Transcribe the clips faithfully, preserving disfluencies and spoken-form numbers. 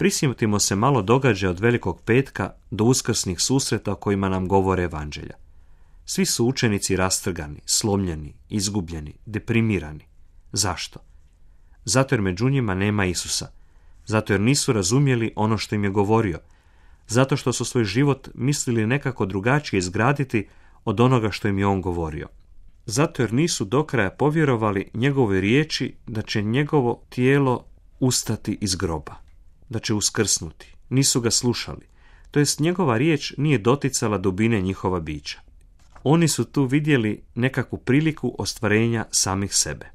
Prisjetimo se malo događaja od Velikog petka do uskrsnih susreta o kojima nam govore evanđelja. Svi su učenici rastrgani, slomljeni, izgubljeni, deprimirani. Zašto? Zato jer među njima nema Isusa. Zato jer nisu razumjeli ono što im je govorio. Zato što su svoj život mislili nekako drugačije izgraditi od onoga što im je on govorio. Zato jer nisu do kraja povjerovali njegove riječi da će njegovo tijelo ustati iz groba, da će uskrsnuti. Nisu ga slušali. To jest njegova riječ nije doticala dubine njihova bića. Oni su tu vidjeli nekakvu priliku ostvarenja samih sebe.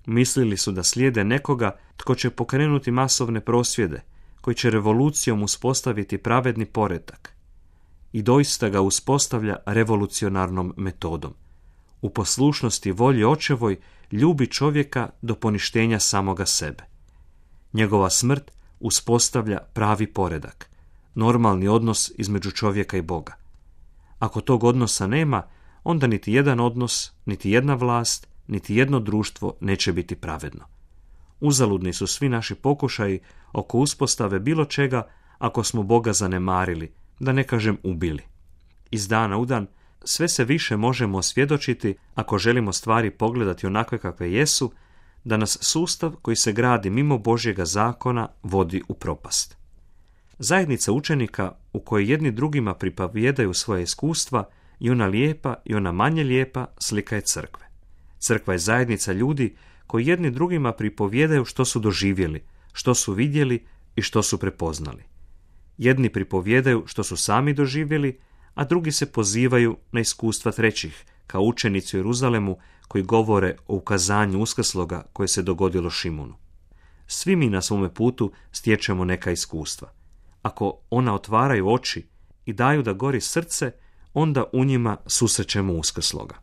Mislili su da slijede nekoga tko će pokrenuti masovne prosvjede, koji će revolucijom uspostaviti pravedni poredak. I doista ga uspostavlja revolucionarnom metodom. U poslušnosti volji očevoj ljubi čovjeka do poništenja samoga sebe. Njegova smrt uspostavlja pravi poredak, normalni odnos između čovjeka i Boga. Ako tog odnosa nema, onda niti jedan odnos, niti jedna vlast, niti jedno društvo neće biti pravedno. Uzaludni su svi naši pokušaji oko uspostave bilo čega ako smo Boga zanemarili, da ne kažem ubili. Iz dana u dan sve se više možemo osvjedočiti, ako želimo stvari pogledati onakve kakve jesu, da nas sustav koji se gradi mimo Božjega zakona vodi u propast. Zajednica učenika u kojoj jedni drugima pripovjedaju svoje iskustva i ona lijepa i ona manje lijepa slika je crkve. Crkva je zajednica ljudi koji jedni drugima pripovjedaju što su doživjeli, što su vidjeli i što su prepoznali. Jedni pripovjedaju što su sami doživjeli, a drugi se pozivaju na iskustva trećih, kao učenici u Jeruzalemu koji govore o ukazanju uskrsloga koje se dogodilo Šimunu. Svi mi na svome putu stječemo neka iskustva. Ako ona otvaraju oči i daju da gori srce, onda u njima susrećemo uskrsloga.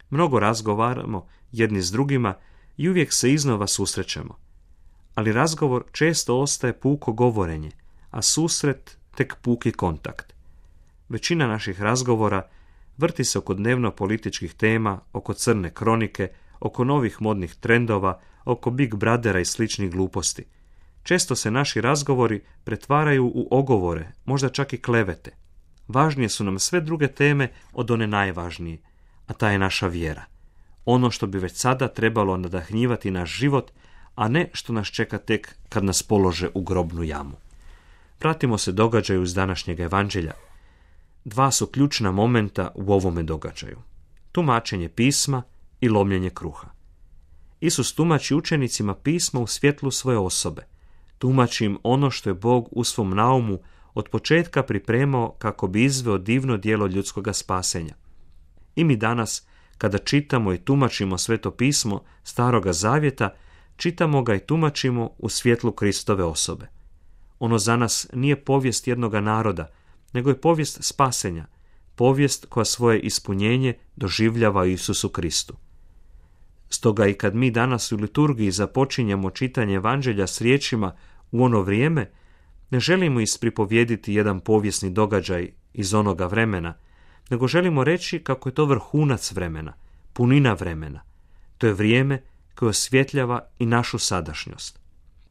Mnogo razgovaramo jedni s drugima i uvijek se iznova susrećemo. Ali razgovor često ostaje puko govorenje, a susret tek puki kontakt. Većina naših razgovora vrti se oko dnevno političkih tema, oko crne kronike, oko novih modnih trendova, oko Big Brothera i sličnih gluposti. Često se naši razgovori pretvaraju u ogovore, možda čak i klevete. Važnije su nam sve druge teme od one najvažnije, a ta je naša vjera. Ono što bi već sada trebalo nadahnjivati naš život, a ne što nas čeka tek kad nas polože u grobnu jamu. Pratimo se događaju iz današnjeg evanđelja. Dva su ključna momenta u ovome događaju. Tumačenje pisma i lomljenje kruha. Isus tumači učenicima pisma u svjetlu svoje osobe. Tumači im ono što je Bog u svom naumu od početka pripremao kako bi izveo divno djelo ljudskoga spasenja. I mi danas, kada čitamo i tumačimo Sveto pismo Staroga Zavjeta, čitamo ga i tumačimo u svjetlu Kristove osobe. Ono za nas nije povijest jednoga naroda, nego je povijest spasenja, povijest koja svoje ispunjenje doživljava u Isusu Kristu. Stoga i kad mi danas u liturgiji započinjemo čitanje evanđelja s riječima u ono vrijeme, ne želimo ispripovjediti jedan povijesni događaj iz onoga vremena, nego želimo reći kako je to vrhunac vremena, punina vremena. To je vrijeme koje osvjetljava i našu sadašnjost.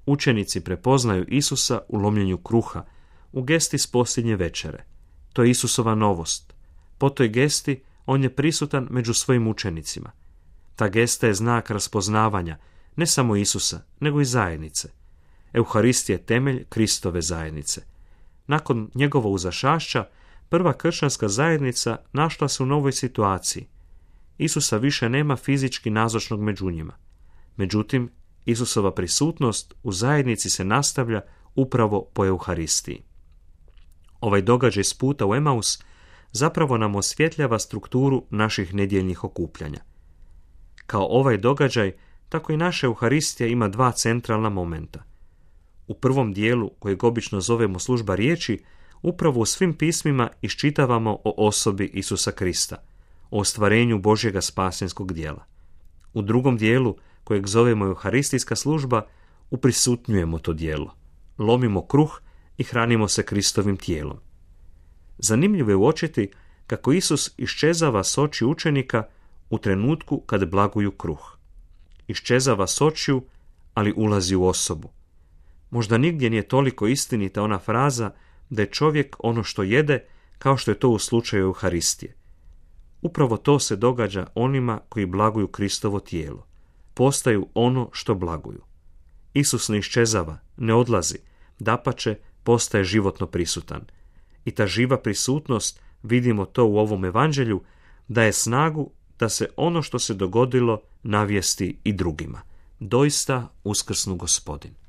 Učenici prepoznaju Isusa u lomljenju kruha, u gesti s posljednje večere. To je Isusova novost. Po toj gesti on je prisutan među svojim učenicima. Ta gesta je znak raspoznavanja ne samo Isusa, nego i zajednice. Euharistija je temelj Kristove zajednice. Nakon njegova uzašašća, prva kršćanska zajednica našla se u novoj situaciji. Isusa više nema fizički nazočnog među njima. Međutim, Isusova prisutnost u zajednici se nastavlja upravo po Euharistiji. Ovaj događaj s puta u Emaus zapravo nam osvjetljava strukturu naših nedjeljnih okupljanja. Kao ovaj događaj, tako i naša Euharistija ima dva centralna momenta. U prvom dijelu, kojeg obično zovemo služba riječi, upravo u svim pismima iščitavamo o osobi Isusa Krista, o ostvarenju Božjega spasenskog djela. U drugom dijelu, kojeg zovemo Euharistijska služba, uprisutnjujemo to djelo. Lomimo kruh i hranimo se Kristovim tijelom. Zanimljivo je uočiti kako Isus iščezava s oči učenika u trenutku kad blaguju kruh. Iščezava s očiju, ali ulazi u osobu. Možda nigdje nije toliko istinita ona fraza da je čovjek ono što jede, kao što je to u slučaju Euharistije. Upravo to se događa onima koji blaguju Kristovo tijelo. Postaju ono što blaguju. Isus ne iščezava, ne odlazi, dapače postaje životno prisutan. I ta živa prisutnost, vidimo to u ovom evanđelju, daje snagu da se ono što se dogodilo navijesti i drugima. Doista uskrsnu Gospodin.